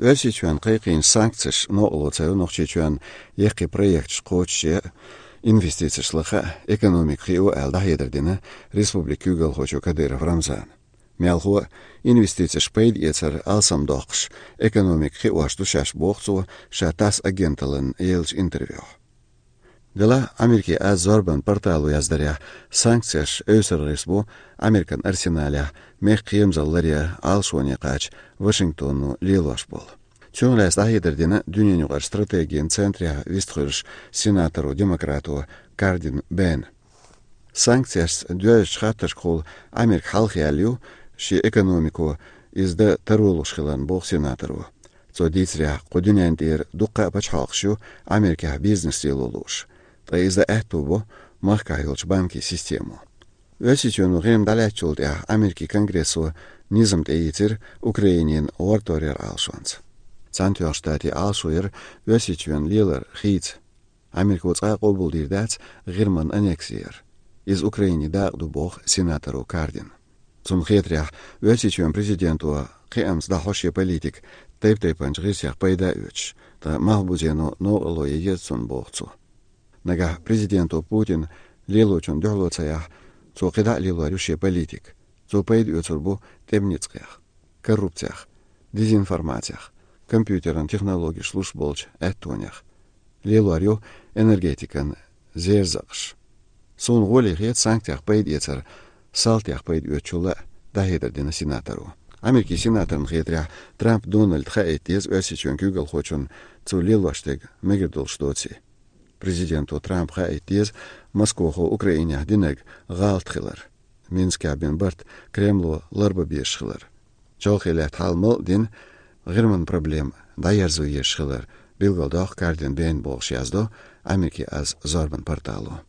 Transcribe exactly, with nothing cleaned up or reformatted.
Оьрсийчоьнна кхайкхийначу санкцеша новкъарло ца йо Нохчийчоьнна яккхий проекташ кхочушъе, инвестицеш лаха, экономика хио аьлла дӀахьедар дина республикан куьйгалхочо Кадыров Рамзана. Мелхо а, инвестицеш пайда эцар алсамдоккхуш, экономика хиош ду шаьш, боху цо ша ТАСС агенталлина еллачу интервьюхь. Делахь а Америкин аз зорбан портало яздарехь, санкцеш эвсара гӀирс бу Американ арсеналехь мехкан кхерамзалла ларъян Ӏалашоне кхача Вашингтоно лелош болу. Цунах лаьцна дӀахьедар дина дуьненаюкъарчу стратегин центрехь вистхуьлуш сенаторо, демократо Кардин Бена. Санкцешца доьзначу хаттаршкахула Америка хьалхаяьлла ю шен экономико иза дан таро луш хиларна, боху сенаторо. Цо дийцарехь, кху дуьнен тӀера дуккха а пачхьалкхаш ю Америкехь бизнес лело лууш, ткъа иза дан аьтто бо махкахь йолчу банкийн системо. Оьрсийчоьно ГӀирма дӀалаьцначул тӀаьхьа Америкин Конгрессо низам тӀеийцира Украинина гӀортор яран Ӏалашонца. Цхьаьнатоьхначу Штатийн Ӏалашо яра Оьрсийчоьнна лелар хийца. Америко цкъа а къобалдийр дац ГӀирман аннекси яр. Иза Украинин дакъа ду, боху сенаторо Кардина. Цунна хетарехь, Оьрсийчоьнан президенто кхиамца дӀахьо шен политика тайп-тайпанчу гӀирсех пайда а оьцуш, ткъа малхбузено новкъарло ян еза цунна, боху цо. Нагахь президенто Путина лелочунна дуьхьало ца яхь, цо кхидӀа а лелор ю шен политика. Цо пайда оьцур бу тӀеман ницкъех, коррупцех, дезинформацех, компьютеран технологеш луш болчу аьттонех. Лелор ю энергетикан зерзакъаш. Суна гӀоле хета санкцех пайда эцар салтех пайда оьцучул а, дӀахьедар дина сенаторо. Америкин сенаторна хетарехь, Трамп Дональда хаийта деза Оьрсийчоьнан куьйгалхочунна цо лелош дерг мегар долуш доций. Президенто Трампа хаийта деза Москохо Украинехь динарг гӀалат хилар, Минскехь бина барт Кремло ларбан безаш хилар. Чолхе лаьтта хьал мала а дина, ГӀирман проблема дӀаерзо езаш хилар билгалдоккху Кардин Бена, бохуш яздо Америкин аз зорбан портало.